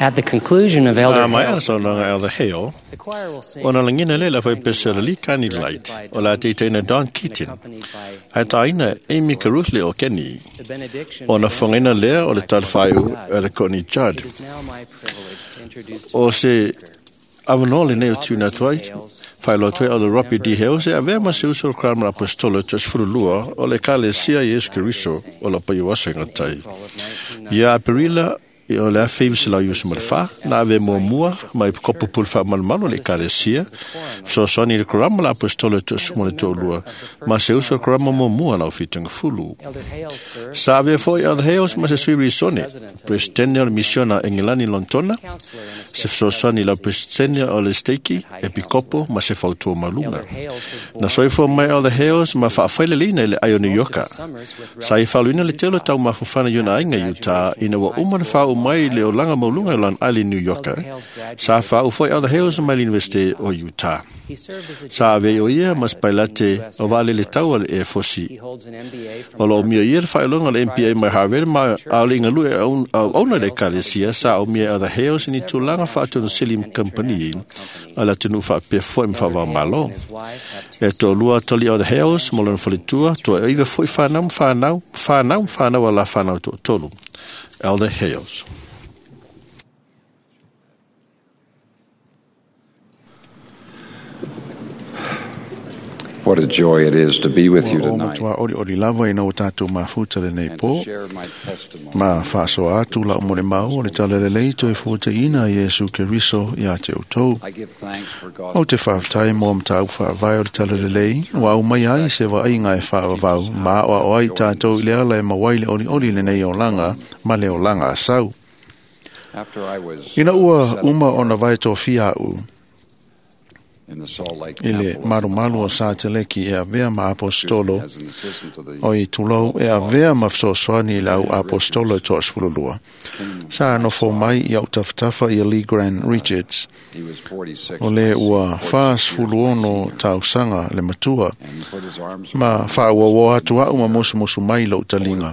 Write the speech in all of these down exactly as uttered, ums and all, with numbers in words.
At the conclusion of Elder A mai Hale's saunoaga Elder Hale, the choir will sing ona lagina lea le faipese o le Likani Light o la teitaina Don Keaton, accompanied by ae taina Amy Caruthley o Kenny, the benediction. ona fogaina lea o le talafaiu a le Courtney Judd. It is now my privilege to introduce to O se avanoa lenei o tuna atu ai, whailoa atu ai o le Robbie D. Hales e avea ma se uso o le Crown Apostolo Sefululua o le Ekalesia Iesu Keriso o la pai o aso i ngatai. April of nineteen Ia Aperila o le afe iwa selau iva ma le fa, na ave muamua mai kopu pulu faamalumalu o le Ekalesia, fesoasoani i le Korama la Apostolo toasuma le toalua, ma se uso o le Korama muamua lau fitaga fulu. Elder Hales served Sa avea foi Elder Hales ma se sui risone, presidente o le misiona Engelani Lontona, counselor in a se fesoasoani i lau presidente o le steiki, epikopo ma se fautua maluga. Elder Hales was born Na soifua mai Elder Hales ma faafaileleina i le ai o New Yorka. summers with Sa i faaloina le tele o taumafofana i ona aiga i Utah ina ua uma na faaoo mai le olaga maualuga i lona ai New Yorka. Sa faaoo foi Elder Hales mai le University o Utah. He served as a Sa avea o ia ma pilot se pailate in the U S o vaalele Air Force. tau a le Air Force He holds an M B A from O lo omia ia le whaelonga le M P A mai Harvard ma a le inga lue au auna le ekalesia sa o mia the Hales ni tulaga whaatunu Selim Company a la tunu whaapea foi mwhawao malo. and his wife have two E tō lua toli o the Hales mo lona faletua toa iwa foi whanau whanau whanau whanau a la whanau tō tolu. Elder Hales. What a joy it is to be with you Ua o tonight matua ori ori lava ina o tātou mafuta lenei and pō. to share my testimony. Ma whaasoa atu la umore mau o le talalelei toe fōte ina Iesu Keriso ia te utou. I give thanks for God's O te whaatai mō mtāu whaavai o le talalelei, wa au mai ai se wa ai ngai whaavau, ma o o ai tātou i le ala e mawai le ori ori lenei o langa, ma le o langa a sau. After I was Ina ua set uma ona vai tō fia u, in the Salt Lake i le Temple marumalu o Sateleki e avea ma apostolo, as an assistant to the o i tulou e avea ma fesoasoani i lau apostolo e toasefululua. Sa nofo mai i au tafatafa i a Lee Grant Richards, he was forty-six o le ua forty-six years whāsefuluono tausaga le matua, and he put his arms ma whaauaua atu au ma musumusu mai lou talinga.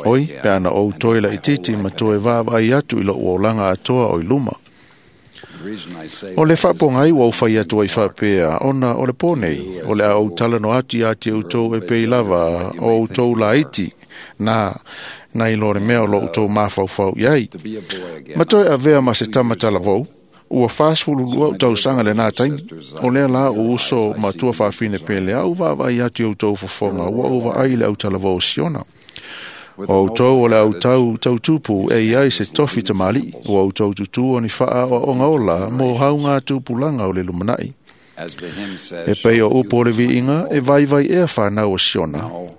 Oi, pe ana ou toe la itiiti ma toe vaavaai atu i lou olaga atoa o i luma. The reason I say O le that is whaapongai ua ufai atu ai whaapea, ona o le pōnei, o le au talano atu ia te utou e pei lava, o utou la iti, nā, nā i lore mea o lo utou mawhauwhau iai. to be a boy again. Ma toe avea ma se tamatala vau, ua whāsefulu lua o tausaga le nā taimi, o lea la o uso ma tua whaafine pele au vaavaai atu i outou fofoga, ua o vaai le autalavou o Siona. With O outou o le noble autau tautupu e iai se tofi tamali'i, o outou tutu o ni whaa o onga ola mō hau ngā tupulanga o le lumanai. As the hymn says, E pei o upo o le shall you viinga e vaivai ea whanau o Siona. now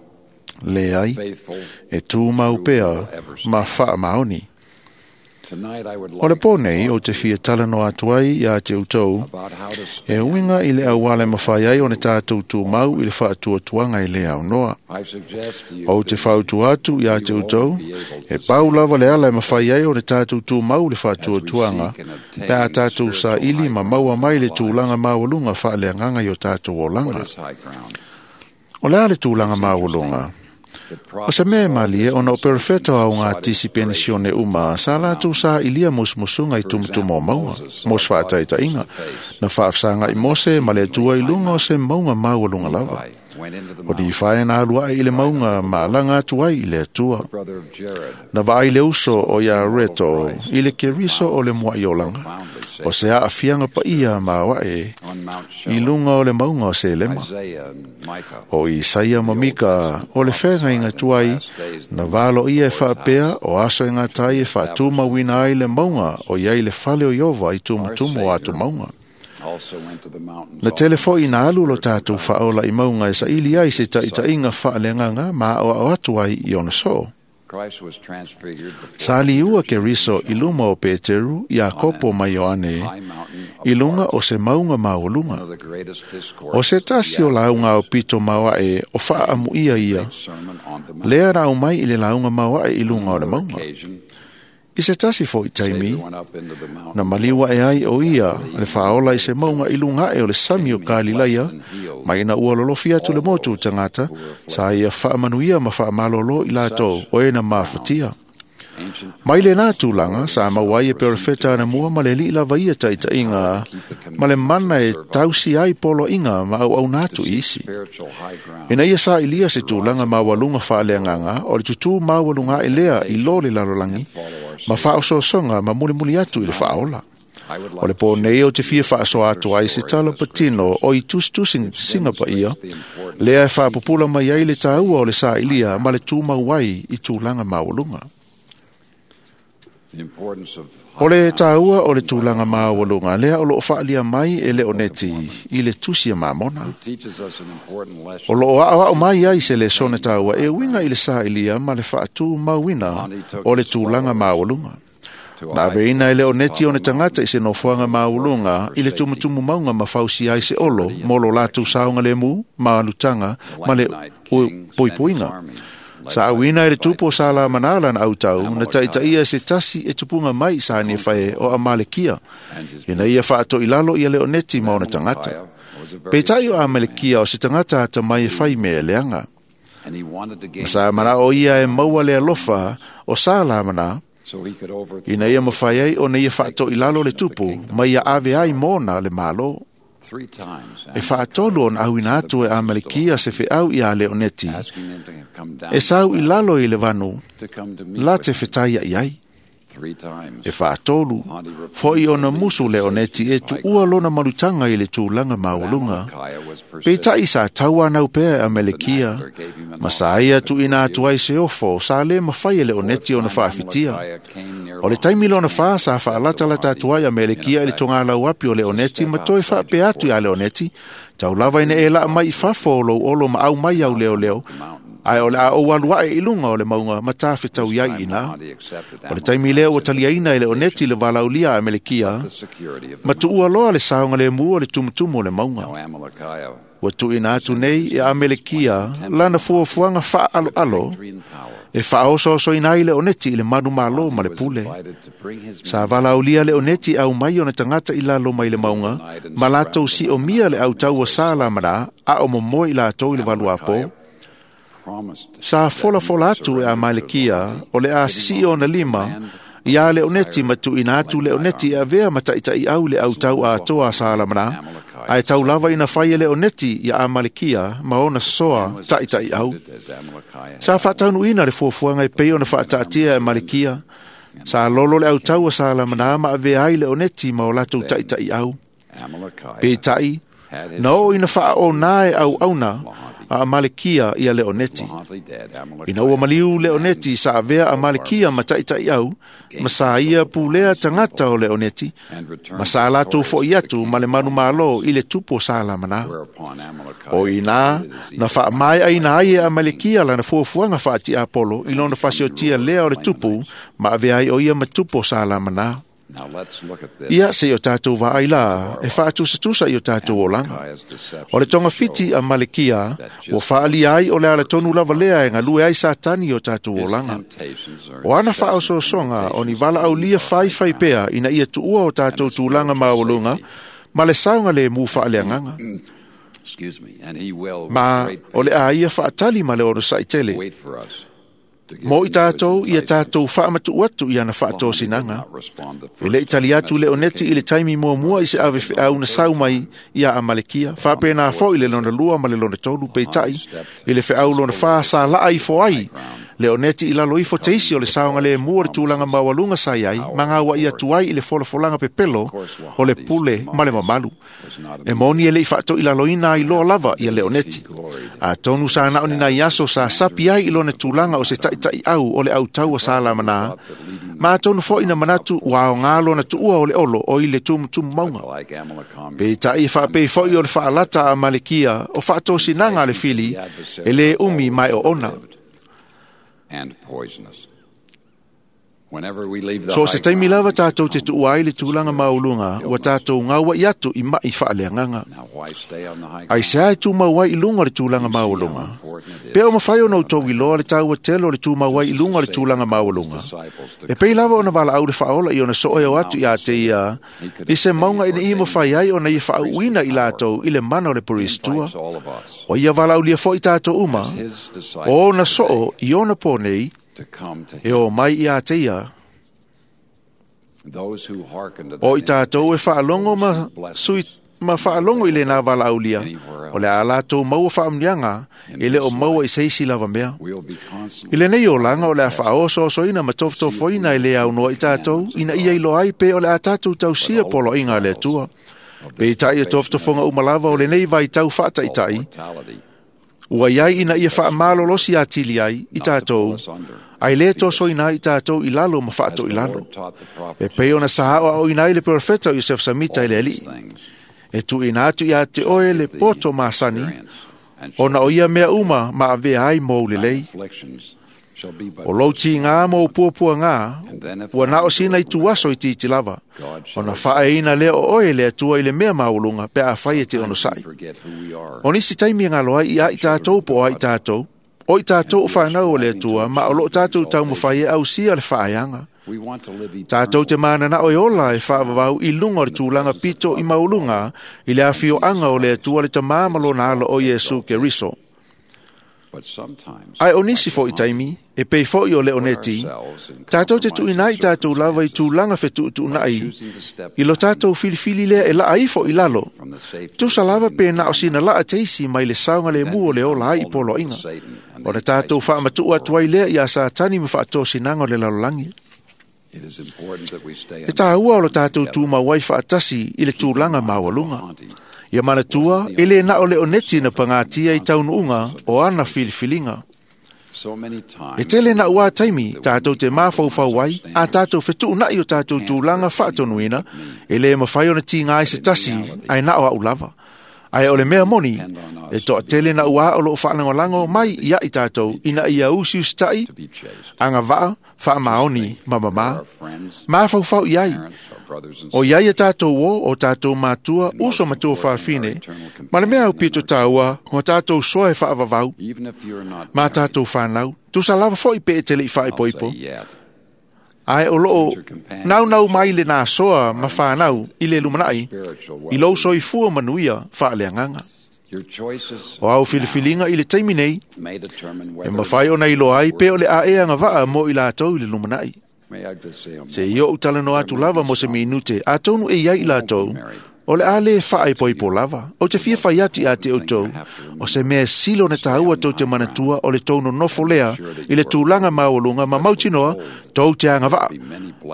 Le ai, faithful. e tūmau pea ma whaa maoni. Tonight I would O le like pō nei o te fia talano atu ai ia te utou, about how to e stand. uinga i le auale mawhai ai o ne tātou tūmau i le whaatuatuanga i le au noa. I suggest to you O te that whautu atu ia te utou, e pau lava le ala e mawhai ai o ne tātou tūmau le whaatuatuanga, pe a tātou sa ili ma maua mai le tūlanga maualunga whaaleanganga i o tātou what olanga. is high ground? O le a le tūlanga maualunga. That O se mea e malie ona o perfeto au ngā sought tisi penisione uma, sa lātou sa ilia musumusunga i tumutumu o maunga, mos whaataitainga, na whaafsanga i Mose ma le atua i lunga o se maunga maualunga lava. Nephi went into the O di mountain, whae na alua i le maunga ma langa atu ai i le atua. brother of Jared, Na vaai le uso o ia reto i le keriso o le mua i olanga. profoundly O saved se a afianga pa ia ma wae on Mount i Shelem, lunga o le maunga o Selema. Isaiah and Micah. O Isaia ma Mika o le whenga i ngā tuai, na valo ia e whaapea o aso i ngā tai e whaatumawina ai le maunga o iai le fale o Iova i tumutumu o atu maunga. Also went to the mountains. Na tele foi ina alu lo tātou whaola i maunga e sa ili ai se taitainga whaalenganga ma o au atu ai i ona soo. Christ was transfigured before Sa liua ke riso i luma o Peteru, Iakopo ma Ioane, high mountain i lunga o se maunga one maualunga. of the greatest discourses O se tasi o launga o pito maoae o whaamu ia ia, sermon on the mount. lea rau mai i le launga maoae i lunga o le maunga. Occasion, I se tasi foi taimi, Savior went up into the mountain na maliua e ai o ia, le whaola i se maunga i lunga e o le sami o Kalilaia, mai na ua lolofi atu le motu o tangata, sa ia whaamanuia ma whaamalolo i lātou o e na mafatia. Mai le nā tūlanga, sa mauai e perofeta ana mua ma le li lava ia taitaiga, ma le mana e tausi ai polo inga ma au au nātu isi. Ina ia sa ilia se tūlanga maualunga whaaleanganga, o le tutu maualunga e lea i lo le lalolangi, ma whaososonga ma mulimuli atu i le whaola. O le pō nei o te fia whaasoa atu ai se tala patino o i tusitusi singa pa ia, lea e whaapupula mai ai le tāua o le sa ilia ma le tūmau ai i tūlanga maualunga. O le tāua o le tūlanga maualunga, lea o loo whaalia mai e leo neti i le tusi a mamona. O loo ao ao mai ai se le sone tāua e winga i le sa ilia ma le whaatū mauina o le tūlanga maualunga. Nā veina e leo neti o ne tangata i se nofoanga maulunga i le tumutumu maunga ma fausi ai se olo molo lātou saunga le mu, maalutanga, ma le poipoinga. Sa auina e le tupo sa la manala na autau, na taitaia se tasi e tupunga mai sa ni whae o Amalekia. Ina ia whaato i lalo ia leo neti ma ona tangata. Peitai o Amalekia o se tangata ata mai e whai mea leanga. Ma sa mana o ia e maua le alofa o sa la mana, ina ia mawhai ai o na ia whaato i lalo le tupu, mai ia ave ai mōna le malo. E whaatolu o na auina atu e Amalekia se wheau i a Leoneti. E sau i lalo i le vanu, la te whetaia i ai. E whaatolu, foi o na musu Leoneti e tuua lona marutanga i le tūlanga maualunga. Peitai sa taua nau pea e Amalekia, ma sa ia tu ina atu ai se ofo, sa le mawhai e Leoneti o na whaafitia. O le taimi lona wha sa whaalatalata atu ai Amalekia i le tonga lau api o Leoneti ma toi whaapea atu i a Leoneti, tau lava ina e laa mai i fafo o lou olo ma au mai au leo leo, ai o le a o alu ae i lunga o le maunga ma tāwhetau iai ina. O le taimi lea ua taliaina e Leoneti le valaulia a Amalekia, ma tuua loa le saonga le mua o le tumutumu o le maunga. Ua tuuina atu nei e Amalekia lana fuafuaga faaaloalo e faaosoaosoina ai Leoneti i le manu malo ma le pule. Sa valaaulia Leoneti au mai ona tagata i lalo mai le mauga ma latou siomia le autaua sa lamana a o momoe i latou i le valuapo. Sa folafola atu e Amalekia o le a sisii ona lima ia Leoneti ma tuuina atu Leoneti e avea ma taʻitaʻi au le autau atoa a Salamana, ae tau lava ina fai e Leoneti ia Amalekia ma ona soa taʻitaʻi au. Sa faataunuuina le fuafuaga e pei ona faataatia e Amalekia. Sa lolo le autau a Salamana ma avea ai Leoneti ma o latou taʻitaʻi au. Peitai, na oo ina faaonā e auauna a Amalekia ia Leoneti. Ina ua maliu Leoneti sa avea Amalekia ma taʻitaʻi au, ma sa ia pulea tagata o Leoneti, ma sa latou foʻi atu ma le manumalo i le tupu o Salamana. O inā, na faamaeaina ai e Amalekia lana fuafuaga faatiapolo i lona fasiotia lea o le tupu, ma avea ai o ia ma tupu o Salamana. Ia se i o tātou vaai la, e whaatusatusa i o tātou olanga. O le tonga fiti a Malekia, ua whaalia ai o le ala tonu lava lea e ngalue ai Satani i o tātou olanga. O ana whaosoosonga o ni vala aulia whai whai pea ina ia tuua o tātou tūlanga maualunga, ma le saunga le mu whaaleanganga. Ma o le a ia whaatali ma le ono saitele. Mo i tātou, ia tātou whaamatu atu i ana whaatōsinaga. E le itali atu Leoneti i le taimi muamua i se ave whiau na sau mai ia Amalekia. Whaapena fo i le lona lua ma le lona tolu peitai. I le whiau lona wha sa laa i fo ai. Leoneti i lalo ifo teisi o le saonga le mua le tūlanga maualunga sa iai, ma ngā wa ia tuai i le folafolanga pepelo o le pule ma le mamalu. E moni e le i whaato i lalo ina i loa lava ia Leoneti. A tonu sa nao ni nai aso sa sapi ai i lona tūlanga o se taʻitaʻi au o le autaua sa lamana. Ma tonu fo ina manatu ua o ngā lona tuua o le olo o i le tumutumu maunga. Peitai e whaapei fo i o le whaalata a Malekia o whaatosinanga le fili e le umi mai o ona. So se taimi lava tātou te tuua ai le tūlanga maulunga, ua tātou ngaua i atu i mai whaaleanganga. Ai se ai tūmau ai i lunga le tūlanga maulunga. Pea o mawhai ona utou i loa le tāua telo le tūmau ai i lunga le tūlanga maulunga. E pei lava ona wala au le whaola i ona soe o atu i a te ia, i se maunga ina i mawhai ai ona i whaauina i lātou i le mana o le poristua. O ia wala aulia fo i tātou uma, o ona soo i ona pō nei, E o mai ia te ia. O i tātou e whaalongo ma sui ma whaalongo i le nā wala aulia. O le a lātou maua whaamnianga e le o maua i seisi lava mea. I le nei o langa o le a whaoso-osoina ma tofotofoina i le au noa i tātou ina ia ilo ai pe o le a tātou tausia polo inga le atua. Pe i tai e tofotofonga umalava o le nei vai tau whaataitai. Ua iai ina ia whaamalolosi a tili ai i tātou. Ai le toso ina i tātou i lalo ma whaato i lalo. E pei ona sahao au ina i le profeta o Yosef Samita i le alii. E tu ina atu ia te oe le poto masani, ona o ia mea uma ma avea ai mou lelei. O lou ti ngā mou puapua ngā, ua nao sina i tuaso i titi lava. Ona whaeina lea o oe le atua i le mea maulunga pe a whai e te ono sai. O nisi taimi ngā loa i a i tātou po a i tātou, o i tātou o whanau o le atua, ma o lo tātou taumawhai e au sia le whaeanga. Tātou te mānana o e ola e whaavavau i lunga o le tūlanga pito i maulunga i le awhio anga o le atua le tamā malona alo o Iesu Keriso. Ai o nisi fo i taimi, e pei fo i o le oneti, tātou te tuina i tātou lava i tūlanga whetuutuunai, i lo tātou filifili lea e laa ifo i lalo. Tusa lava pe na o sina laa teisi mai le saunga le mua o le ola ai i polo inga. O le tātou whaamatua atuai lea i a sātani ma whaatōsinanga o le lalolangi. E tāua o lo tātou tūmawai whaatasi i le tūlanga mawalunga. Ia manatua, e le na o le oneti na pangatia i taunuunga o ana filifilinga. E tele na ua taimi, tātou te māwhauwhau ai, a tātou whetuunai o tātou tūlanga whaatonuina, e le mawhai ona tinga ai se tasi, ai na o au lava. Ai o le mea moni, e toa tele na ua o loo whaalangolango mai ia i tātou, ina ia usi ustai, anga vaa, wha maoni, ma mama, māwhauwhau i ai. O ia ia tātou o, o tātou mātua, uso matua whaafine, ma le mea au pito tāua, o tātou soa e whaavavau, mā tātou whanau, tusa lava fo i pe e tele i whaepoipo. Ai o loo, nau nau mai le nā soa ma whanau i le lumanai, i lou soi fua manuia whaaleanganga. O au filifilinga i le taimi nei, e mawhai ona i loa ai pe o le aeanga vaa mo i lātou i le lumanai. Se i o utalano atu lava mo se minute, a tonu e iai i lātou, o le ale whaepoipo lava, o te fia whai atu i a te outou, o se mea silo na tāua tau te manatua o le tauno nofo lea, i le tūlanga maualunga ma mautinoa, tau te anga vaa.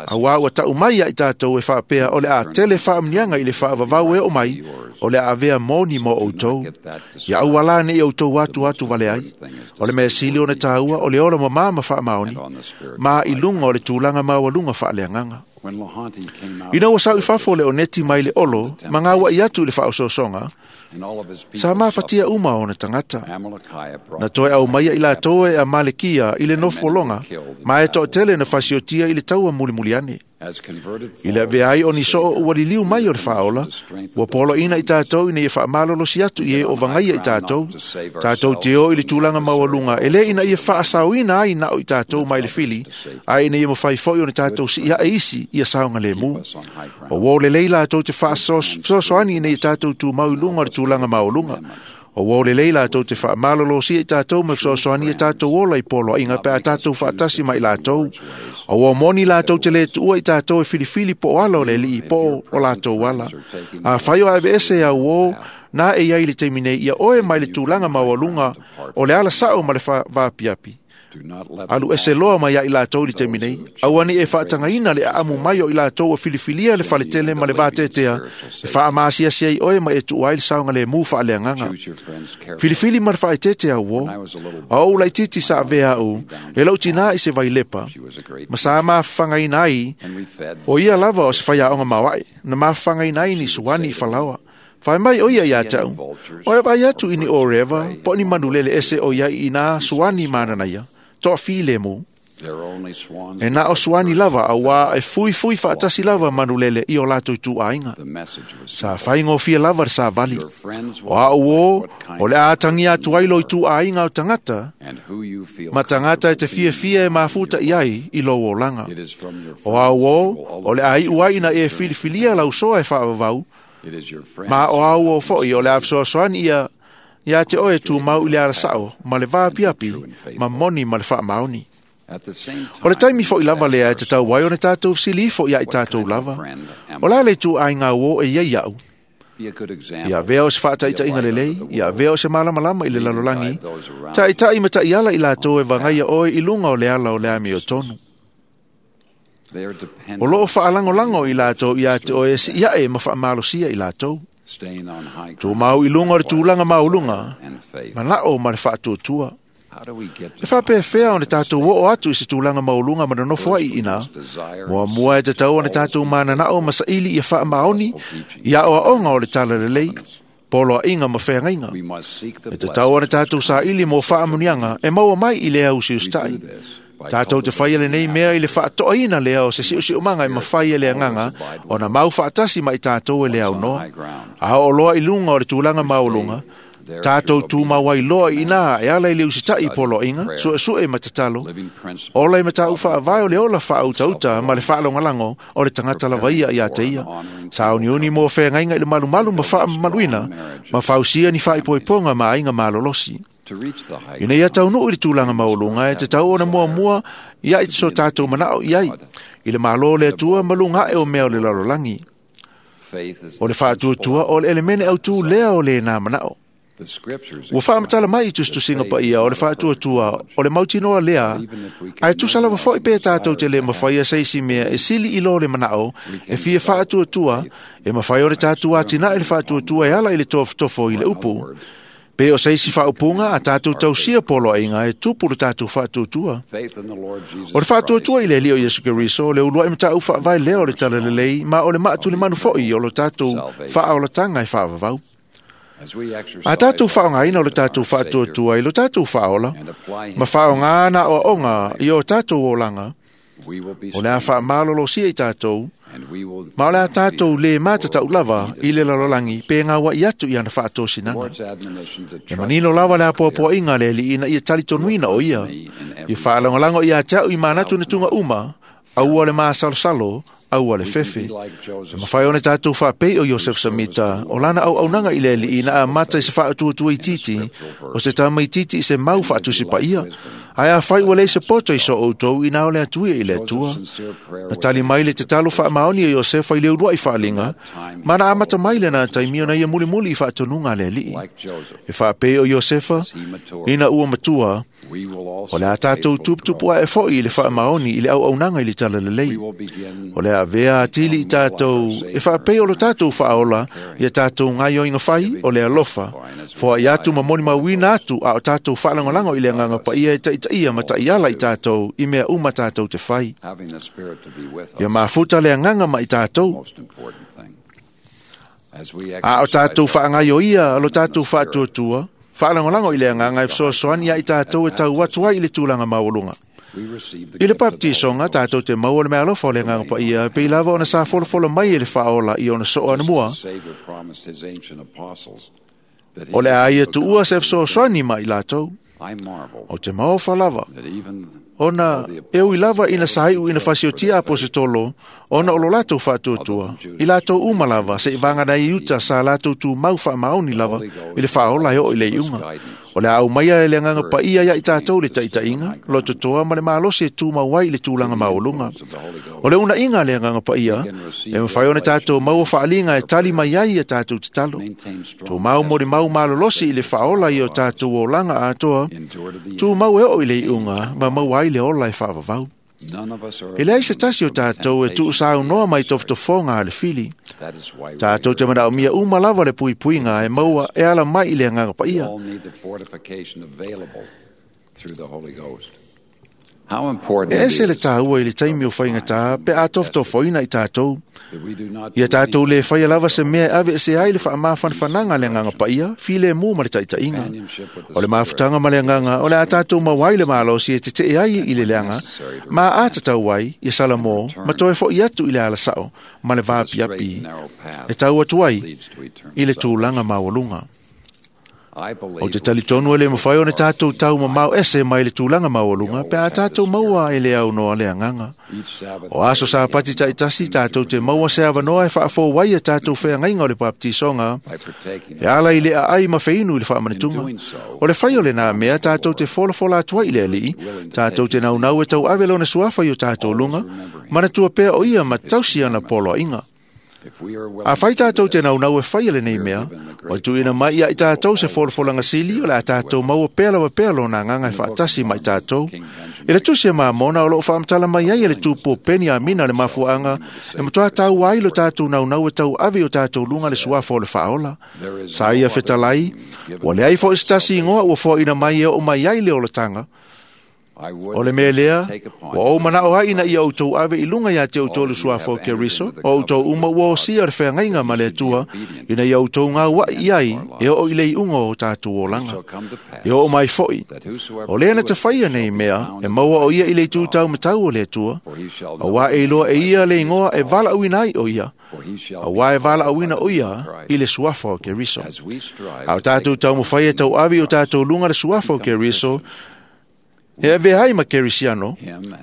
A wā ua tau mai ai tātou e whaapea o le a tele whaamnianga i le whaavavau e o mai, o le a avea moni mō outou. Ia au ala nei outou atu atu vale ai, o le mea sili o na tāua o le ora mamā ma whaamaoni, ma i lunga o le tūlanga maualunga whaaleanganga. Ina ua sau i fafo le oneti mai le olo, ma ngā ua i atu i le whaososonga, sa māwhatia uma o na tangata. Na toe au maia i la toe a Malekia i le nofolonga, ma e toa tele na fasiotia i le taua mulimuli ane. I le avea ai o ni soo ua liliu mai o le whaola, ua polo ina i tātou ina ia whaamalolosi atu i e o vangaia i tātou, tātou te o i le tūlanga maualunga, e le ina ia whaasauina ai nao i tātou mai le fili, ai ina ia mawhai foi o ni tātou si ia e isi ia saunga le mu. O wō le leila tātou te whaasosoani ina ia tātou tū maulunga o le tūlanga maualunga. O wō le leila tātou te whaamalolosi i tātou me whasosoani i tātou ola i polo inga pe a tātou whaatasi mai lātou. O wō moni lātou te le tuua i tātou e filifili po o ala o le lii po o lātou ala. A whai o ave ese au wō, nā e iai le teimine ia oe mai le tūlanga maualunga o le ala sao ma le whaapiapi. Alu ese loa mai ai lātou li te minei, au ani e whaatangaina le aamu mai o i lātou o filifilia le whaletele ma le vātetea, e whaamāsiasia i oe ma e tuai le saunga le mū whaaleanganga. Filifili ma le whaetete au o, a o laititi sa avea au, e lau tina i se vailepa, ma sa mawhangaina ai, o ia lava o se whaiaonga mawai, na mawhangaina ai ni suani i whalawa. Whai mai o ia ia tau, o e vai atu ini o rewa, po ni manulele ese o ia i nā suani mananaia, toa file mu. E nā o suani lava, a wā e fui fui whaatasi lava manulele i o lātou tū ainga. Sa whaingo fia lava sa vali. O a o, o le ātangi atu ai lo i tū ainga o tangata, ma tangata e te fia fia e mafuta i ai i lo o langa. O a o, o le ai uai na e filifilia lau soa e whaavavau, ma o au o foi o le awsoasoani ia ia te oe tū mau i le arasao ma le vāpiapi ma moni ma le whaamaoni. O le taimi foʻi lava lea e tatau ai ona tatou fesilī foʻi ia i tatou lava. O le a le ituaiga uō e iai aʻu? Ia avea o se faataitaiga lelei, ia avea o se malamalama i le lalolagi, taʻitaʻi ma taʻiala i latou e vagaia oe i luga o le ala o le amiotonu. O loo faalagolago i latou ia te oe e siʻi aʻe ma faamalosia i latou. Tumau i luga o le tulaga maualuga, manaʻo ma le faatuatua. E faapefea ona tatou oo atu i se tulaga maualuga ma nonofo ai i ina? Muamua e tatau ona tatou mananao ma saili ia faamaoni i aoaoga o le talalelei, poloaiga ma feagaiga. E tatau ona tatou saili mo faamanuiaga e maua mai i le ausiusitaʻi. Tatou te faia lenei mea i le faatoaina lea o se siusiumaga e mafai e le agaga ona mau faatasi ma i tatou e le aunoa. A oo loa i luga o le tulaga maualuga, tatou tumau ai loa i ina e ala i le usitaʻi poloaiga, suesue ma tatalo, ola i mataupu faavae o le ola faautauta ma le faalagolago o le tagata lava ia ia te ia. Sauniuni mo feagaiga i le malumalu ma faamamaluina, ma fausia ni faaipoipoga ma aiga malolosi. Ina ia taunuu i le tulaga maualuga e tatau ona muamua ia i so tatou manaʻo i ai, i le Malo o le Atua ma luga aʻe o mea o le lalolagi. O le faatuatua o le elemene autū lea o lena manaʻo. Ua faamatala mai i tusitusiga paia o le faatuatua o le mautinoa lea, ae tusa lava foʻi pe tatou te lē mafaia se isi mea e sili i lo le manaʻo e fia faatuatua, e mafai ona tatou atinae le faatuatua e ala i le tofotofo i le upu. Pe o se isi faaupuga a tatou tausia poloaiga e tupu le tatou faatuatua. O le faatuatua i le Alii o Iesu Keriso, o le uluai mataupu faavae lea o le talalelei, ma o le maatulemanu foʻi o lo tatou faaolataga e faavavau. A tatou faaaogaina o le tatou faatuatua i lo tatou faaola, ma faaaoga na aoaoga i o tatou olaga, o le a faamalolosia i tatou, ma o le a tatou lē matatau lava i le lalolagi pe gauaʻi atu i ana faatosinaga. E manino lava le apoapoaiga a le Alii ina ia talitonuina o ia, ia faalagolago ia te aʻu i manatu na tuga uma, aua le masalosalo, aua le fefe. E mafai ona tatou faapei o Iosef Samita, o lana auaunaga i le Alii na amata i se faatuatua itiiti, o se tamaitiiti i se mau faatusi paia. Ae afai ua leai se poto i so outou ina o le atuia i le Atua. Na tali mai le tatalo faamaoni o Iosefa i le uluai faaliga, ma na amata mai lena taimi ona ia mulimuli i faatonuga a le Alii. E faapei o Iosefa, ina ua matua, o le a tatou tuputupu ae foʻi i le faamaoni i le auaunaga i le talalelei. O le a avea atili i tatou e faapei o lo tatou faaola ia tatou gaioiga fai o le alofa, foai atu ma molimauina atu a o tatou faalagolago i le agaga paia e taitaia ma taʻiala i tatou i mea uma tatou te fai. Ia mafuta le agaga ma i tatou. A o tatou faagaioia lo tatou faatuatua, faalagolago i le agaga e fesoasoani ia i tatou e tau atu ai i le tulaga maualuga. I le baptisoga tatou te maua le meaalofa o le agaga paia e pei lava ona sa folafolo mai e le faaola i ona soo anamua. O le a ia tuua se fesoasoani ma i latou. O te maofa lava, ona e ui lava ina saiʻu ina fasiotia aposetolo, ona o lo latou faatuatua, i latou uma lava seʻi vaganai iuta sa latou tumau faamaoni lava i le faaola e oo i le iuga. O le a aumaia e le agaga paia ia i tatou le taʻitaʻiga, lototoa ma le malosi e tumau ai i le tulaga maualuga. O le unaʻiga a le agaga paia, e mafai ona tatou maua faaliga e tali mai ai ia tatou tatalo. Tumau molimau malolosi i le faaola i o tatou olaga atoa, tumau e oo i le iuga ma maua ai le ola e faavavau. E leai se tasi o tatou e tuusaunoa mai tofotofoga a le fili. Tatou te manaomia uma lava le puipuiga e maua e ala mai i le agaga paia. E ese le tāua i le taimi o faigata pe a tofotofoina i tatou. Ia tatou lē faia lava se mea e ave ese ai le faamafanafanaga a le agaga paia, filemu ma le taʻitaʻiga. O le mafutaga ma le agaga o le a tatou maua ai le malosi e teteʻe ai i le leaga, ma a tatau ai ia Salamo ma toe foʻi atu i le alasaʻo ma le vaapiapi e tau atu ai i le tulaga maualuga. O te talitonu e le mawhai o ne tātou tau mamau ese mai le tūlanga maualuga, pe a tātou maua e le au noa le anganga. O aso sa pati taitasi tātou te maua se avanoa e whaafōwai e tātou wheangainga o le baptisonga, e ala i le aai ma wheinu i le whaamanetunga. O le whai o le nā mea tātou te folafola atua i le alii, tātou te naunau e tau ave lona suafa i o tātou lunga, manatua pea o ia ma tausi ana poloainga. A whai tātou te naunau e whai le nei mea, o tuina mai ia i tātou se folafolanga sili o le a tātou maua pea lawa pea lona nganga e whaatasi mai tātou. E le tusi e maamona o loo whaamtala mai ai e le tūpō peni a mina le mafuanga e matoa tau ai lo tātou naunau e tau ave o tātou lunga le suafa o le whaola. Sa ia fetalai, wa le ai fo istasi ingoa ua fo ina mai e o mai ai le olatanga. O le mea lea, ua ou manao ai ina ia outou ave i lunga ia te outou le suafa o Keriso, o outou uma ua osia le wheangaiga ma le Atua, ina ia outou ngā wai iai e o i le iunga o tātou olanga. E o mai foi, o lea na te whaia nei mea, e maua o ia i le tūtau matau o le Atua, a wā e iloa e ia le ingoa e vala uina ai o ia, a wā e vala uina o ia i le suafa o Keriso. A o tātou taumawhai e tau ave o tātou lunga le suafa o Keriso, E ave ai ma Kerisiano,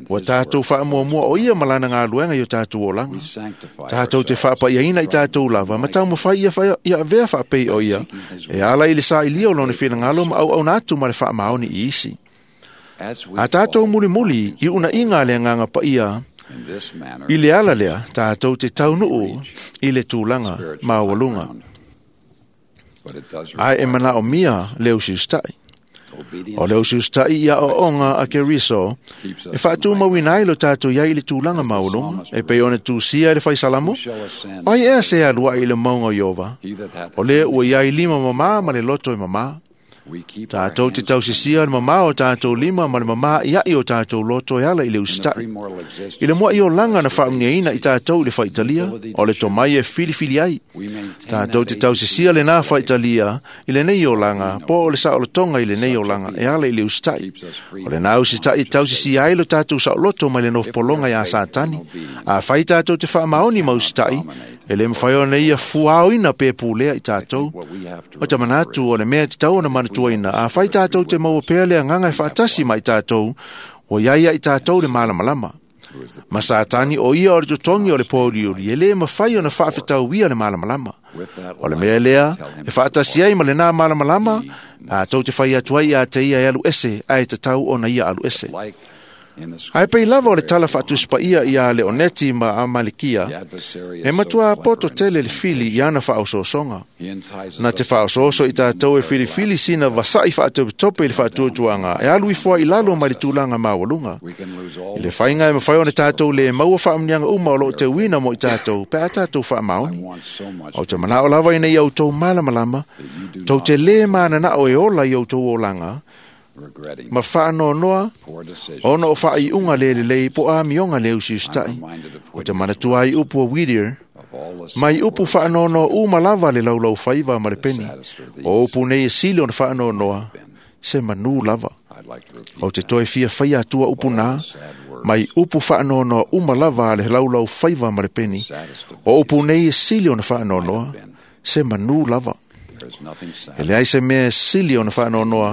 ua tātou whaamuamua o ia malana ngā luenga i o tātou olanga. Tātou te whaapaiaina i tātou lava, ma tau mawhai ia, ia avea whaapei o ia, e ala i le sa i lia o lona whinangalo ma au au nātu ma le whaamaoni i isi. A tātou muli muli i una inga le nganga pa ia, i le ala lea, tātou te taunuu i le tūlanga maualunga. Ai e mana o mia leo siustai. O leo siustai ia o onga a Keriso, e whaatumawina ai lo tātou iai i le tūlanga maulunga, e pe ona tūsia i le whaisalamo, ai ea se alua i le maunga o Iova, o lea ua iai lima mamā ma le loto e mamā. Tātou te tausisia le mamā o tātou lima ma le mamā iai o tātou loto e ala i le usita'i. I le mua i o langa na whaamniaina i tātou i le whaitalia, o le tomai e filifili ai. Tātou te tausisia le nā whaitalia i le nei o langa, po o le saolotonga i le nei o langa e ala i le usita'i. O le nā usita'i tausisia ai lo tātou saoloto mai le nofopolonga ia Satani. A whai tātou te whaamaoni ma usita'i, e le mwhai o nei ia fuaoina pe pūlea i tātou. O te manatu o le mea te tau o na manatuaina, a whai tātou te maua pea lea nganga e whaatasi mai tātou, o iaia i tātou le malamalama. Ma Satani o ia o le totongi o le pōriuri, e le mawhai o na whaafetau ia le malamalama. O le mea lea, e whaatasi ai ma le nā malamalama, a tau te whai atu ai a te ia e alu ese, a e te tau o na ia alu ese. Ai pei lava o le tala whaatuspa ia ia Leoneti ma Amalikia, e matua poto tele le fili i ana whaososonga. Na te whaososo i tātou e filifili sina vasai whaatopetope i le whaatuatuanga, e alu ifoa i lalo mai le tūlanga maualunga. I le whainga e mawhai o ne tātou le maua whaamnianga uma o loo te uina mo i tātou, pe a tātou whaamaoni. O te manao lava ina i au tau malamalama, tau te le mana o e ola i au tau olanga, ma whaanonoa, ona o whaaiunga le le lei po a mionga le usiustai. O te manatua ai upu a Whittier, mai upu whaanonoa u malava le laulau whaiva ma le peni. O upu nei e sili ona whaanonoa, se manu lava. O te toi fia whaia atua upu nā, mai upu whaanonoa u malava le laulau whaiva ma le peni. O upu nei e sili ona whaanonoa, se manu lava. E le ai se mea sili o na whaanonoa,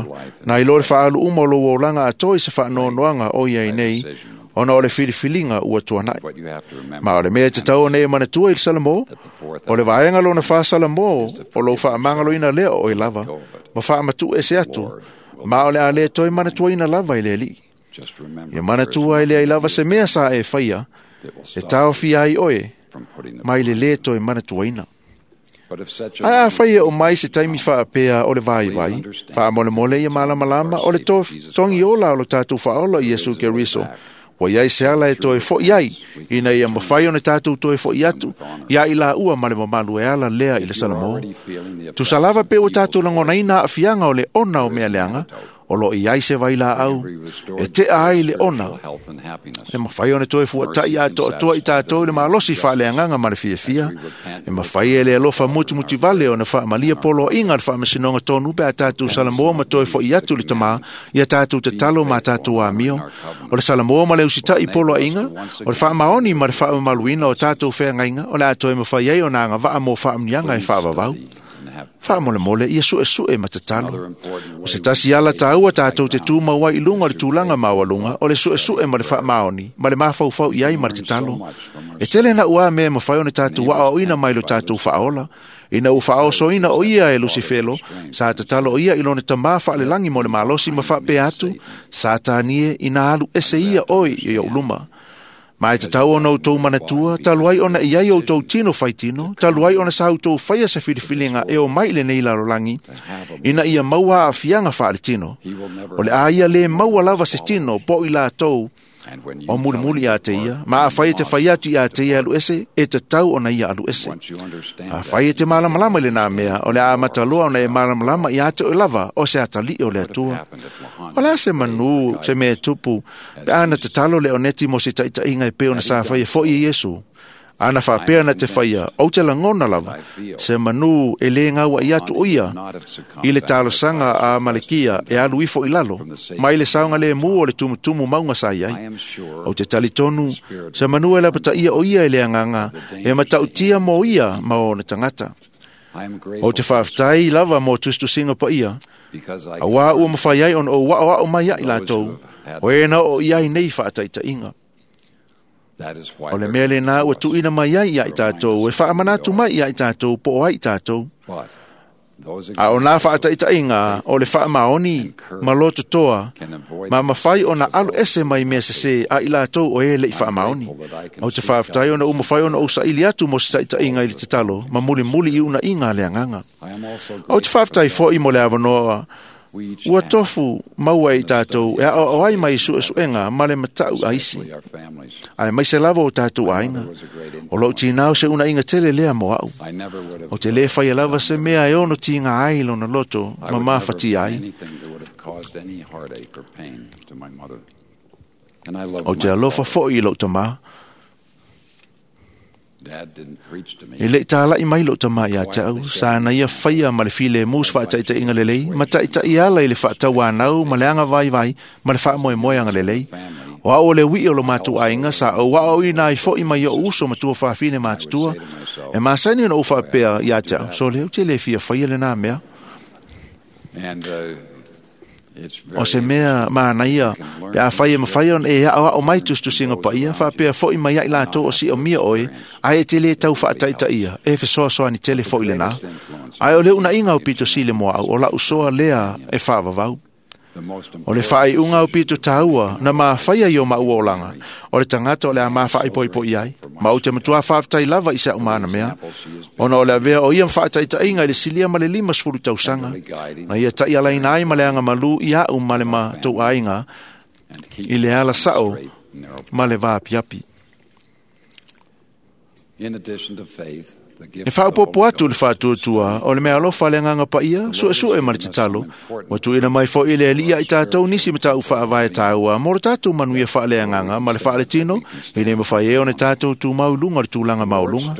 nā i lore whaalu uma o lo olanga a toi se whaanonoanga o ia i nei, ona o le filifilinga ua tuanai. Ma o le mea te tau o nei manatua i le Salamo, o le vaenga lona wha Salamo o lo whaamangaloina lea o i lava, ma whaamatu e se atu, ma o le a le toi manatuaina lava i le alii. Ia manatua i le ai lava se mea sa e whaia, e taofi ai oe, mai le le toi manatuaina. Ai a whai e o mai se taimi whaapea o le vai vai, whaamolemole ia malamalama o le to, tongi ola o lo tātou whaola i Yesu Keriso. Wa iai se ala e toe fo iai, ina ia mawhai o ne tātou toe fo iatu, ia i la ua ma le mamalu e ala lea i le Salamo. Tusalava pe o tātou langonaina a fianga o le ona o mea leanga, o lo iai se vai la au, e te ai le ona. E mawhai o ne toe fuatai a toa toa i tātou le malosi whaaleanganga ma le fiafia. E mawhai e le alofa mutu mutu vale o na whaamalia polo inga le whaamasinonga tonu pe a tātou Salamoa ma toe fo i atu le tamā, i a tātou te talo ma tātou amio. O le Salamoa ma le usitai polo inga, o le whaamaoni ma le whaamamaluina o tātou wheangainga, o le a toe mawhai ai o nā ngā waa mō whaamnianga e whaavavau. Faamolemole ia suʻesuʻe ma tatalo. O se tasi ala tāua tātou te tūmau ai i luga o le tulaga maualuga o le suʻesuʻe ma le faamaoni ma le mafaufau i ai ma le tatalo. E tele na ua mea mafai ona tatou aoaoina mai lo tatou faaola. Ina ua faaosoina o ia e Lusifelo, sa tatalo o ia i lona tamā faalelagi mo le malosi ma faapea atu, Satani e ina alu ese ia oe i ou luma. Ma e tatau ona outou manatua, talu ai ona i ai outou tino faitino, talu ai ona sa outou faia se filifiliga e o mai i lenei lalolagi, ina ia maua aafiaga faaletino. O le a ia lē maua lava se tino po o i latou o mulimuli iā te ia, ma afai e te fai atu iā te ia alu ese, e tatau ona ia alu ese. Afai e te malamalama i lenā mea, o le a amata loa ona e malamalama iā te oe lava o se atalii o le Atua. O le a se manū se mea e tupu, pe a na tatalo le oneti mo se taʻitaʻiga e pei ona sa faia foʻi e Iesu. Ana faapea na te faia, ou te lagona lava, se manū e lē gauaʻi atu o ia i le talosaga a Malekia e alu ifo i lalo, mai le saogalēmū o le tumutumu mauga sa i ai. Ou te talitonu, se manū e lapataia o ia e le agaga, e matautia mo ia ma ona tagata. Ou te faafetai lava mo tusitusiga paia, auā ua mafai ai ona ou aʻoaʻo mai ai latou, o e na oo i ai nei faataitaiga. O le mea lenā ua tuuina mai ai ia i tatou, e faamanatu mai ia i tatou po o ai i tatou. A o nā faataitaiga o le faamaoni ma lototoa, ma mafai ona alu ese mai mea sesē a i latou o e leʻi faamaoni. Ou te faafetai ona ua mafai ona ou saili atu mo se taʻitaʻiga i le tatalo ma mulimuli i unaʻiga a le agaga. Ou te faafetai foʻi mo le avanoa ua tofu maua e i tatou e aʻoaʻo ai mai suʻesuʻega ma le mataʻu a isi, ae maise lava o tatou aiga. O lou tinā o se unaʻiga tele lea mo aʻu. O te lē faia lava se mea e ono tiga ai lona loto ma mafatia ai. Ou te alofa foʻi i lou tamā. E leʻi tālaʻi mai lou tamā iā te au, sa na ia faia ma le filemu se faataʻitaʻiga lelei, ma taʻitaʻi ala i le faatauanau ma le aga vaivai ma le faamoemoe agalelei. O aʻu o le uiʻi o lo matou aiga sa ou aʻoaʻoina ai foʻi mai oʻu uso ma tua fafine matutua. E masani ona ou faapea iā te au, so lea ou te lē fia faia lenā mea. O se mea manaia, pe afai e mafai ona e aʻoaʻo mai tusitusiga paia, faapea foʻi mai ai latou o siʻomia oe, ae e te lē tau faataʻitaʻia, e fesoasoani tele foʻi lenā. Ae o le unaʻiga o pito sili mo aʻu, o laʻu soa lea e faavavau. O le faaiuga o pito tāua na mafaia i o maua olaga, o le tagata o le a mafaaipoipoʻi ai, ma ou te matuā faafetai lava i se aʻu mana mea, ona o le avea o ia ma faataʻitaʻiga i le silia ma le lima sefulu tausaga, na ia taʻialaina ai ma le agamalū i aʻu ma le matou aiga i le ala saʻo ma le vāpiapi. E faaopoopo atu le faatuatua o le mea alofa le agaga paia, suʻesuʻe ma le tatalo, ua tuuina mai foʻi le Alii ia i tatou nisi mataʻu faavae tāua mo le tatou manuia faaleagaga ma le faaletino, e le mafai ai ona tatou tumau i luga o le tulaga maualuga.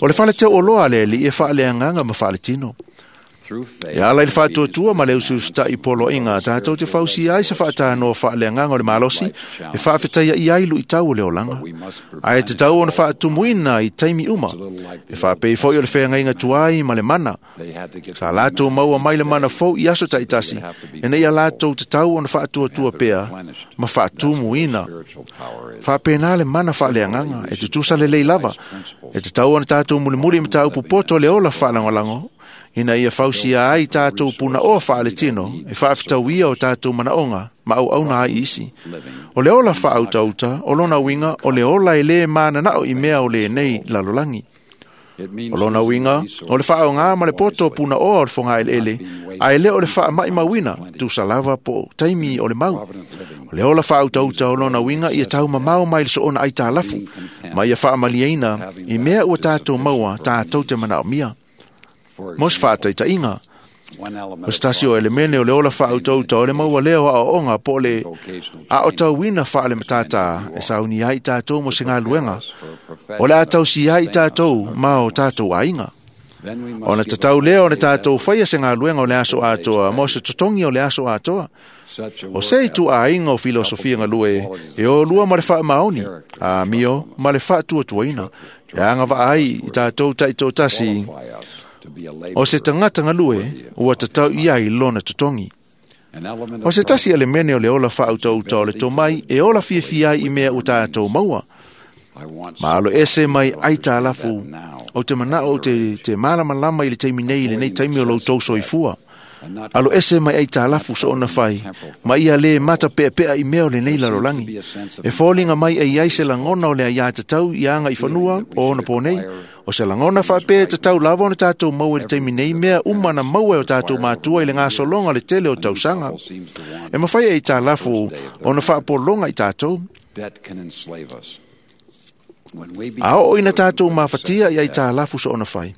O le fale teuoloa a le Alii e faaleagaga ma faaletino. E ala i le faatuatua ma le usiusitaʻi poloaiga tatou te fausia ai se faatanoa faaleagaga o le malosi e faafetaiaʻi ai luʻitau o le olaga. Ae tatau ona faatumuina i taimi uma. E faapei foʻi o le feagaiga tuai ma le mana. Sa latou maua mai le mana fou i aso taʻitasi, ina ia latou tatau ona faatuatua pea ma faatumuina. Faapena le mana faaleagaga e tutusa lelei lava. E tatau ona tatou mulimuli i mataupu poto o le ola faalagolago, ina ia fausia ai tatou punaoa faaletino e faafetauia o tatou manaoga ma auauna ai isi. O le ola faautauta, o lona uiga, o le ola e lē mananaʻo i mea o lenei lalolagi. O lona uiga, o le faaaogā ma le poto o punaoa o le fogaeleele, ae lē o le faamaʻimauina, tusa lava po o taimi o le mau. O le ola faautauta o lona uiga ia taumamao mai le soona aitalafu, ma ia faamaliaina i mea ua tatou maua tatou te manaomia. Mo se faataitaiga, o se tasi o elemene o le ola faautauta o le maua lea o aʻoaʻoga po o le aʻotauina faale-matātā e sauni ai i tatou mo se galuega, o le a tausia ai i tatou ma o tatou aiga. Ona tatau lea ona tatou faia se galuega o le aso atoa mo se totogi o le aso atoa. O se ituaiga o filosofia galue e olua ma le faamaoni, amio ma le faatuatuaina, e agavaa ai i tatou taitoatasi O se tagata galue ua tatau i ai lona totogi. O se tasi elemene o le ola faautaauta o le tomai e ola fiafia ai i mea ua tatou maua. Ma alo ese mai aitalafu ou te manao ou te, te malamalama i le taimi nei i lenei taimi o lo outou soifua. Alo ese mai aitalafu soona fai, ma ia le mata peapea i mea o lenei lalolagi. E foliga mai e iai se lagona o le aiā tatau i aga i fanua o ona po nei. O se lagona faapea e tatau lava ona tatou maua i le taimi nei mea uma na maua e o tatou matua i le gasologa o le tele o tausaga. E mafai e aitalafu ona faapologa i tatou. A oo ina tatou mafatia i aitalafu soona fai,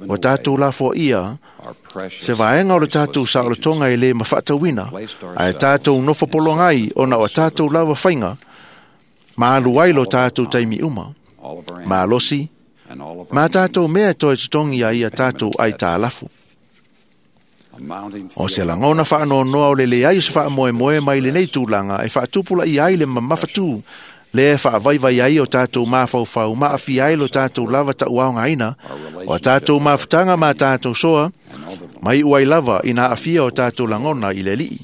ua tatou lafoaia se vaega o le tatou saolotoga e lē mafaatauina, ae tatou nofo pologa ai ona o a tatou lava faiga ma alu ai lo tatou taimi uma, malosi, ma tatou mea e toe totogi ai ia tatou aitalafu. O se lagona faanoanoa o le leai o se faamoemoe mai lenei tulaga e faatupulaia ai le mamafatū lea e faavaivai ai o tatou mafaufau ma aafia ai lo tatou lava tauaogaina, o a tatou mafutaga ma tatou soa, ma iu ai lava ina aafia o tatou lagona i le Alii.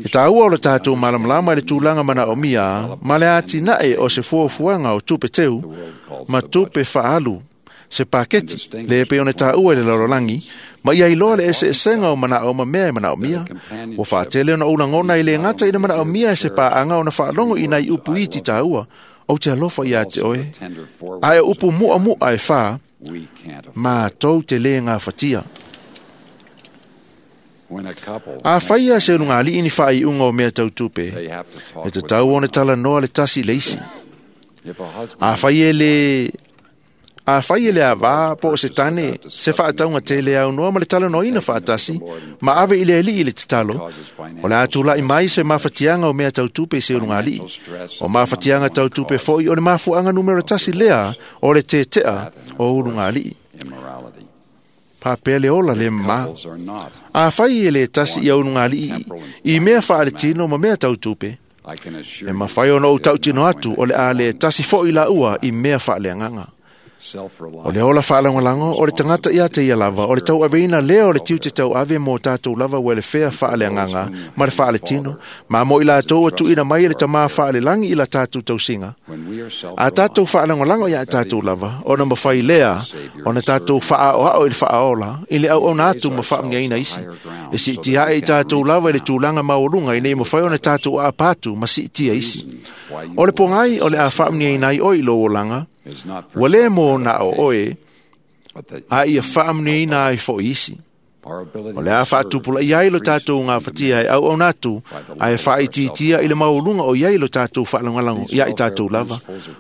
E taua o le tatou malamalama i le tulaga manaomia ma le atinae o se fuafuaga o tupe teu ma tupe faaalu se paketi le pei ona taua i le lalolagi, ma ia iloa le eseesega o manao ma mea e manaomia. Ua faatele ona ou lagona e le gata i le manaomia e se paaga ona faalogo i nai upu iti taua, ou te alofa ia te oe, ae o upu muamu'a e fā, matou te lē gafatia. A faia se ulugalii ni faaiuga o mea tau tupe, e tatau ona talanoa le tasi i le isi. A fai e le A fai e le avā po o se tane, se faatauga tele aunoa ma le talanoaina faatasi, ma ave i le Alii i le tatalo, o le a tula'i mai se mafatiaga o mea tau tupe i se ulugalii. O mafatiaga tau tupe foi o le mafuaaga numera tasi lea o le tetea o ulugalii. Faapea le ola le mamā. A fai e le tasi ia ulugalii i mea faaletino ma mea tau tupe, e mafai ona ou tautino atu o le a le tasi foi laua i mea faaleagaga. O le ola faalagolago o le tagata ia te ia lava, o le tauaveina lea o le tiute tauave mo tatou lava welefea faaleagaga ma le faaletino, ma mo i latou ua tuuina mai e le Tamā faalelagi i la tatou tausiga. A tatou faalagolago ia tatou lava, ona mafai lea ona tatou faaaoao i le faaola i le auauna atu ma faamanuiaina isi. E siitia ae i tatou lava i le tulaga maualuga ina ia mafai ona tatou aapa atu ma siitia isi. O le pogai o le a faamanuiaina ai oe i lou olaga, ua lē mo na o oe, a ia faamanuiaina ai foi isi. O le a faatupulaia ai lo tatou gafatia e auauna atu, ae faaitiitia i le maualuga o i ai lo tatou faalagolago ia i tatou lava.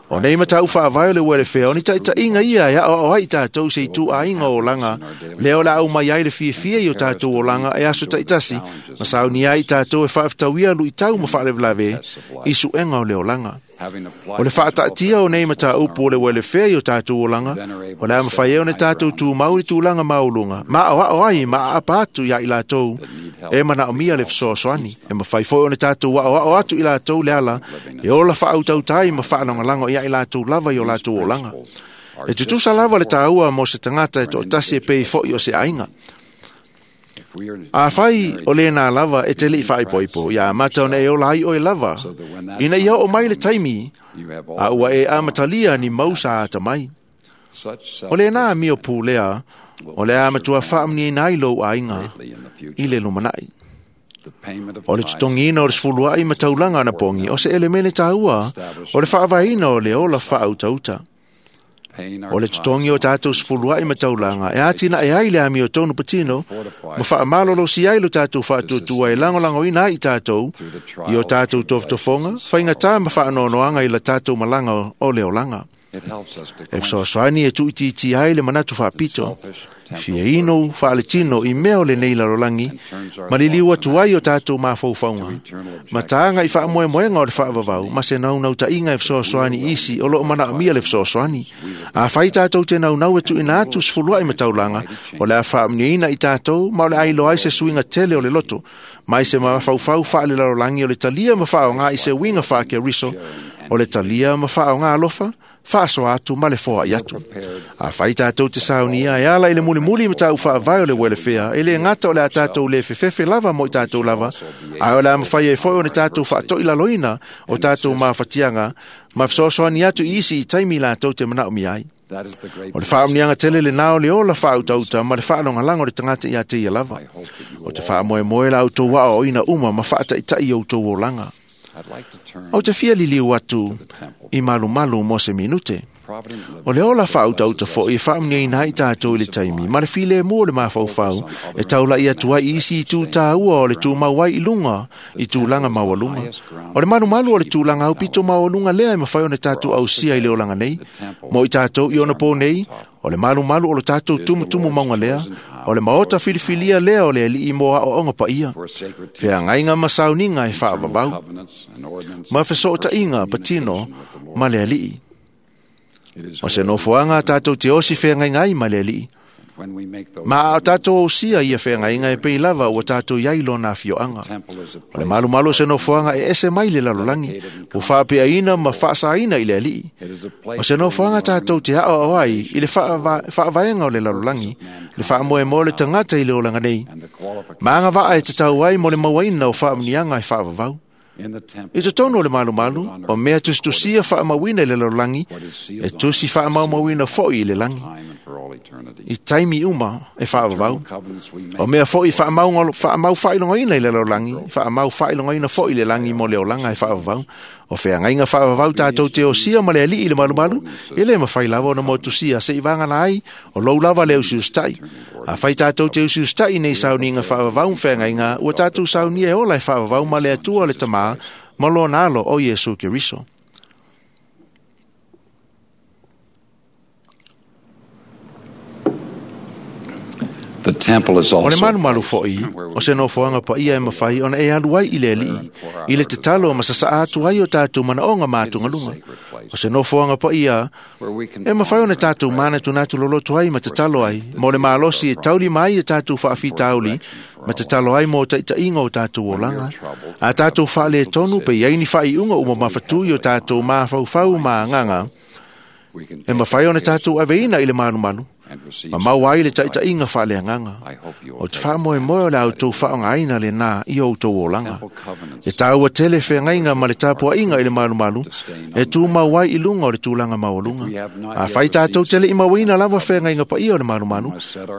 O nei matau faavae o le welefea, o ni taitaiga ia e aoao ai i tatou se ituaiga o olaga, lea o le a aumai ai le fiafia i o tatou olaga e aso taitasi, ma saunia ai i tatou e faafetauia luitau ma faalavelave i suega o le olaga. O le faataatia o nei mataupu o le welefea i o tatou olaga, o le a mafai ai ona tatou tumau i le tulaga maualuga, ma aoao ai ma aapa atu ia i latou e manaomia le fesoasoani. E mafai foi ona tatou aoao atu i latou le ala e ola faautautā ai ma faalagolago ia i latou lava i o latou olaga. E tutusa lava le taua mo se tagata e toatasi e pei foi o se aiga. A fai o lena lava e te lei faaipoipo, ia amata ona e ola ai oe lava, ina ia oo mai le taimi, a ua e amatalia ni mau sa atamai. O lena amio pulea, o le a matua faamanuiaina ai lou aiga i le lumanai. O le totogiina o le sefuluai ma taulaga anapogi, o se elemene taua, o le faavaeina o le ola faautauta. O le totogi o tatou sefuluai ma taulaga e atinae ai le amio tonu patino, ma faamalolosi ai lo tatou faatuatua e lagolagoina ai i tatou i o tatou tofotofoga, faigatā ma faanoanoaga i la tatou malaga o le olaga. E fesoasoani e tuuitiitia ai le manatu faapito, fiaino faaletino i mea o lenei lalolagi, ma liliu atu ai o tatou mafaufauga, ma taga i faamoemoega o le faavavau, ma se naunautaiga e fesoasoani i isi o loo manaomia le fesoasoani. A fai tatou te naunau e tuuina atu sefuluai ma taulaga, o le a faamanuiaina i tatou, ma o le a iloa ai se suiga tele o le loto, mai se mafaufau faalelalolagi o le talia ma faaaoga i se uiga faakeriso, o le talia ma faaaoga alofa, Faasoa atu ma le foai atu. Afai tatou te saunia e ala i le mulimuli ma tau faavae o le welefea, e le gata o le a tatou le fefefe lava mo i tatou lava, ae o le a mafai ai foi ona tatou faatoilaloina o tatou mafatiaga ma fesoasoani atu i isi i taimi latou te manaomia ai. That is the great O le faamuniaga tele lenā o le ola faautauta ma le faalogalago o le tagata ia te ia lava. O te faamoemoe la outou aoaoina uma ma faataitai i outou olaga. I'd like to turn Ou te fia liliu atu i malumalu mo se minute. Provident living O le ola faautauta foi e faamuniaina ai tatou i le taimi, ma le filemu o le mafaufau e taulai atu ai i isi itu tāua o le tumau ai i luga i tulaga maualuga. O le malumalu o le tulaga aupito maualuga lea e mafai ona tatou ausia i le olaga nei. Mo i tatou i ona pō nei, o le malumalu o lo tatou tumutumu mauga lea, o le maota filifilia lea o le alii mo aoaoga paia, for sacred feagaiga ma sauniga e faavavau, covenants and ordinances ma fesootaiga patino with the Lord. ma le alii. It is O se nofoaga a tatou te osi feagaiga ai ma le alii. when we make those Ma a tatou ausia ia feagaiga e pei lava ua tatou iai lona afioaga. temple is a O le place malumalu o se nofoaga e ese mai le lalolagi, ua faapeaina ma faasaina i le alii. It is a place O se nofoaga tatou te aoao ai i le faava- faavaega o le lalolagi, le faamoemoe o le tagata i le olaga nei. and the qualification Ma agavaa e tatau ai mo le mauaina o faamuniaga e faavavau. in the temple I totonu o le malumalu, o mea tusitusia faamauina i le lalolagi, e tusi faamaumauina foi i le lagi, time and for all eternity. i taimi uma e faavavau. Covenants we make O mea foi faamau faamau faailogaina i le lalolagi, faamau faailogaina foi i le lagi mo le olaga e faavavau. O feagaiga faavavau tatou te osia ma le alii i le malumalu, e le mafai lava ona motusia se i vagana ai, o lou lava le usiusitai. Afai tatou te usiusitai nei sauniga faavavau ma feagaiga, ua tatou saunia e ola e faavavau ma le Atua le Tamā, ma lona alo o Iesu Keriso. The temple is O le also malumalu foi, o se nofoaga paia e mafai ona e alu ai i le alii, i le tatalo ma sasaa atu ai o tatou manaoga ma atugaluga. O se nofoaga paia where we can e mafai ona tatou manatunatu loloto ai ma tatalo ai, mo le malosi e taulima ai e tatou faafitauli, ma tatalo ai mo taitaiga o tatou olaga. A tatou faaletonu pe i ai ni faaiuga uma mafatui o tatou mafaufau ma agaga, we can e mafai ona tatou aveina i le malumalu, and receive ma maua ai le taitaiga faaleagaga. I hope you O will te take faamoemoe o le outou faaaogaina lenā i o outou olaga. temple covenants E tāua tele feagaiga ma le tapuaiga i le malumalu, e tumau ai i luga o le tulaga maualuga. Afai tatou te le i mauaina lava feagaiga paia o le malumalu,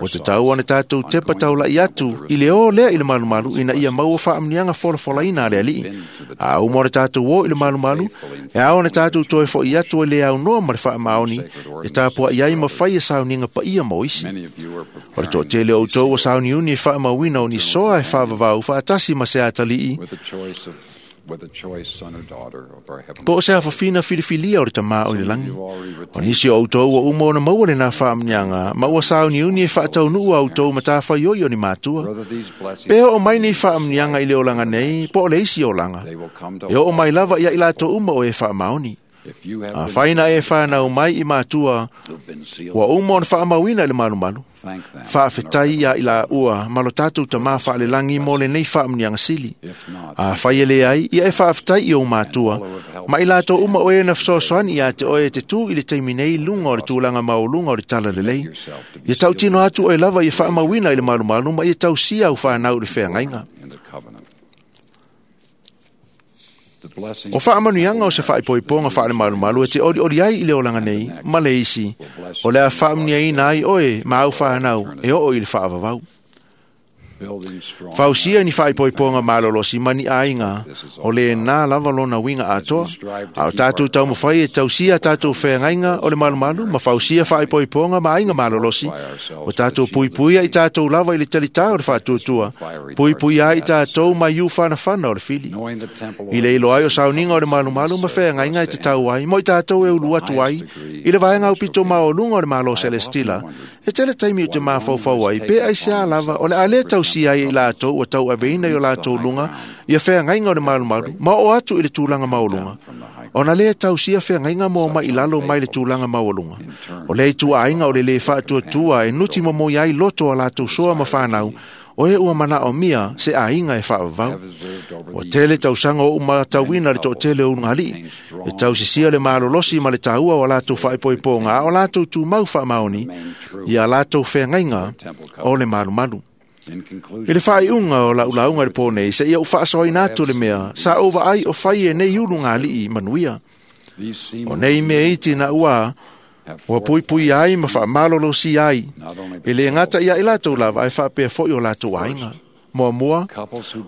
o te tau ona tatou tepa taulai atu i le o lea i le malumalu ina ia maua faamuniaga folafolaina a le alii. A uma o le tatou o i le malumalu, e ao ona tatou toe fo'i atu e le aunoa ma le faamaoni, e tapuai ai ma fai e sauniga paia mo isi. many of you are O le preparing toatele o outou ua sauniuni e faamauina o ni soa e faavavau faatasi ma se atalii, with a choice of with a choice son or daughter of our heavenly po o se afafina filifilia o le tamā o i le langi. O nisi o outou ua uma ona maua lenā faamuniaga, ma ua sauniuni e faataunuu a outou matafaioi o ni matua. Whether these blessings Pe oo mai nei faamuniaga i le olaga nei, po o le isi olaga. they will come to E oo mai lava ia i latou uma o e faamaoni. if you have A been, whai na e whānau mai i mātua, who've been sealed ua uma ona faamauina i le malumalu. thank them Faafetai ia i la ua, ma lo tatou tamā faalelangi mo lenei faamuniaga sili. if not A whai e le ai, ia e faafetai i o mātua. Ma i latou uma o e na fesoasoani ia te oe te tū i le taimi nei lunga o le tulaga maualuga o le tala lelei. Ia tautino atu oe lava ia faamauina i le malumalu ma ia tausia au whānau i le feagaiga. in the covenant the blessing O faamanuiaga o se faaipoipoga faalemalumalu e te olioli ai i le olaga nei ma le isi, o le a faamuniaina ai oe ma au whānau e oo i le faavavau. building strong Fausia ni faaipoipoga malolosi ma ni aiga, o le nā lava lona uiga atoa, a o tatou taumafai e tausia tatou feagaiga o le malumalu ma fausia faaipoipoga ma aiga malolosi, o tatou puipuia i tatou lava i le talitā o le faatuatua, puipuia ai i tatou mai iu whanawhana o le fili. knowing the temple I le ilo ai o sauniga o le malumalu ma feagaiga e te tau ai, mo i tatou e ulu atu ai, i le vaega aupito maualuga o le Malo Celestila, e tele taimi o te mafaufau ai, pe ai se a lava, o le a le tausia ai i latou ua tauaveina i o latou luga, ia feagaiga o le malumalu, ma oo atu i le tulaga maualuga. Ona le tausia feagaiga mo mai i lalo mai le tulaga maualuga. O le ituaiga o le le faatuatua e nuti momoi ai loto a latou soa ma whanau, o e ua manaʻomia se aiga e faavavau. Ua tele tausaga o umatauina le toʻatele o ulugalii e tausisia le malolosi ma le taua o a latou faaipoipoga a o latou tumau faamaoni ia latou feagaiga o le malumalu. I le faaiuga o lau lauga i le pō nei, seia ou faasaoina atu le mea sa ou vaai o fai e nei ulugalii manuia. O nei mea iti na ua ua puipuia ai ma faamalolosia ai e lē gata ia i latou lava ae faapea foi o latou aiga. Muamua,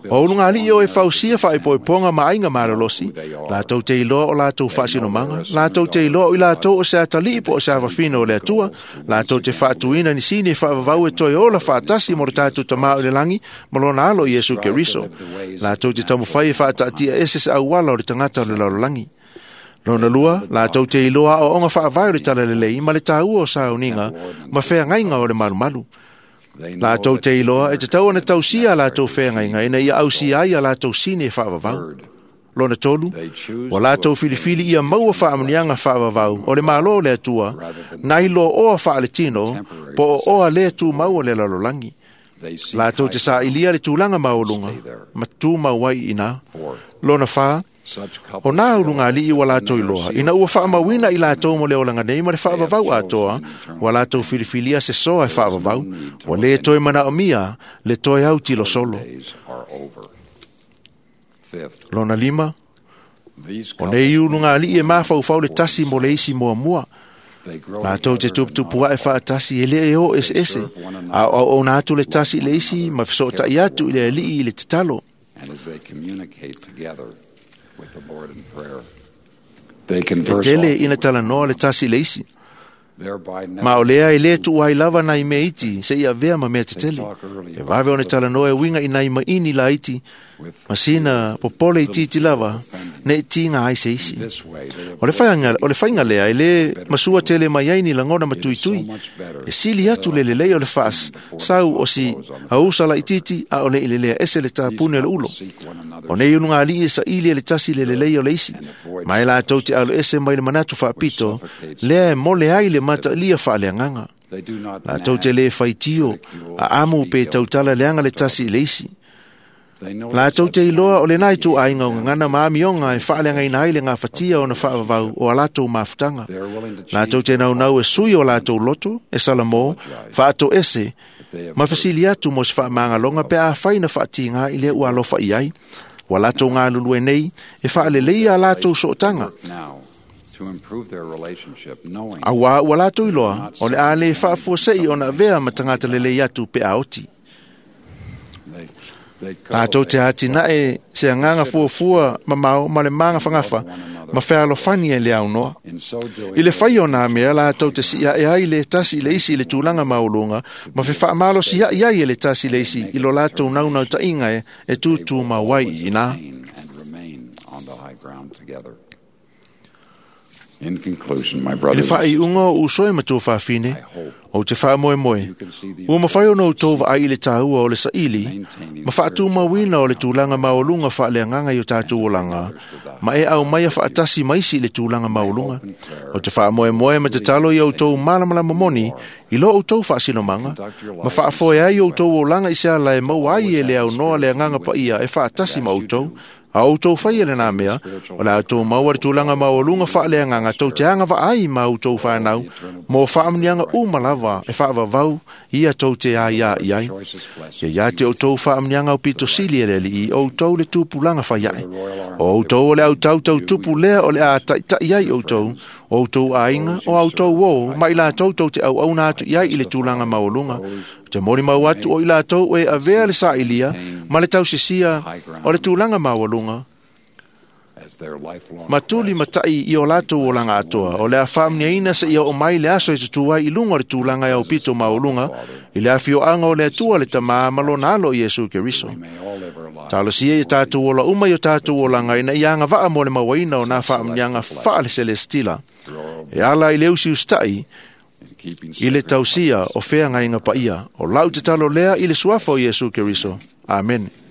o ulugalii o e fausia faaipoipoga ma aiga malolosi, latou te iloa o latou faasinomaga, latou te iloa o i latou o se atalii po o se avafina o le Atua, latou te faatuina nisini e faavavau e toe ola faatasi mo le tatou Tamā o le lagi ma lona alo Iesu Keriso, latou te taumafai e faataatia ese se auala o le tagata o le lalolagi. Lona lua, latou te iloa aoaoga faavae o le talalelei ma le taua o sauniga ma feagaiga o le malumalu. Latou te iloa e tatau ona tausia a latou feagaiga ina ia ausia ai a latou sini e faavavau. Lona tolu, ua latou filifili ia maua faamuniaga faavavau o le Malo o le Atua, nai lo oa faaletino po o oa lē tumau o le lalolagi. Latou te sailia le tulaga maualuga ma tumau ai i ina. Lona fa, o nā ulugalii ua latou iloa, ina ua faamauina i latou mo le olaga nei ma le faavavau atoa, ua latou filifilia se soa e faavavau, ua lē toe manaomia le toe autilosolo. Lona lima, o nei ulugalii e mafaufau le tasi mo le isi muamua. Latou te tuputupu ae faatasi e lē e o eseese, a o auauna atu le tasi i le isi ma fesootai atu i le alii i le tatalo. E tele ina talanoa le tasi i le isi, ma o lea e lē tuua ai lava nai mea iti seia avea ma mea tetele. E vave ona talanoa e uiga i nai maini laiti ma sina popole itiiti lava nei tiga ai se isi. O le faiga, o le faiga lea e lē masua tele mai ai ni lagona matuitui. E sili atu le lelei o le faasau o si ausa laitiiti a o le i lelea ese le tapune o le ulo. O nei ulugalii e saili e le tasi le lelei o le isi, ma e latou te alo ese mai le manatu faapito lea e mole ai le mataalia faaleagaga. Latou te lē faitio a amu pe tautala leaga le tasi i le isi. Latou te iloa o lenā ituaiga o gagana ma amioga e faaleagaina ai le gafatia ona faavavau o a latou mafutaga. Latou te naunau e sui o latou loto, e salamo, faatoese, ma fesili atu mo se faamagaloga pe afai na faatigā i lea ua alofa i ai. Ua latou galulue nei e faaleleia a latou sootaga. Auā ua latou iloa o le a lē faafuasei ona avea ma tagata lelei atu pe a oti. Latou te atinae se agaga fuafua mamao ma le magafagafa ma fealofani e le aunoa. I le fai o nā mea latou te siae ai le tasi i le isi i le tulaga maualuga ma fefaamalosiai ai e le tasi i le isi i lo latou naunautaiga e, e tutumau ai i ina. I le faaiuga o uso e matua fafine, ou te faamoemoe, ua mafai ona outou vaai i le taua o le saili ma faatumauina o le tulaga maualuga faaleagaga i o tatou olaga, ma e aumaia faatasi ma isi i le tulaga maualuga. O te faamoemoe ma tatalo i outou malamalama moni i lo outou faasinomaga, ma faafoe ai outou olaga i se ala e maua ai e le aunoa le agaga paia e faatasi ma outou. A outou faia lenā mea, o le a outou maua le tulaga maualuga faaleagaga tou te agavaa ai ma outou fanau mo faamuniaga uma lava e faavavau ia tou te aiā i ai. Ia ia te outou faamuniaga aupito sili e le Alii, o outou le tupulaga faiae. O outou o le autautau tupu lea o le a taʻitaʻi ai outou, o outou aiga, o outou ō, ma i latou tou te auauna atu i ai i le tulaga maualuga. Te molimau atu o i latou e avea le sailia ma le tausisia o le tulaga maualuga ma tuli matai i o latou olaga atoa, o le a faamuniaina seia oo mai le aso e tutu ai i luga o le tulaga e aupito maualuga i le afioaga o le Atua le Tamā ma lona alo Iesu Keriso. Talosia ia tatou ola uma i o tatou olaga ina ia agavaa mo le mauaina o nā faamuniaga faaleselestila e ala i le usiusitai i le tausia o feagaiga paia. O lau tatalo lea i le suafa o Iesu Keriso. Amene.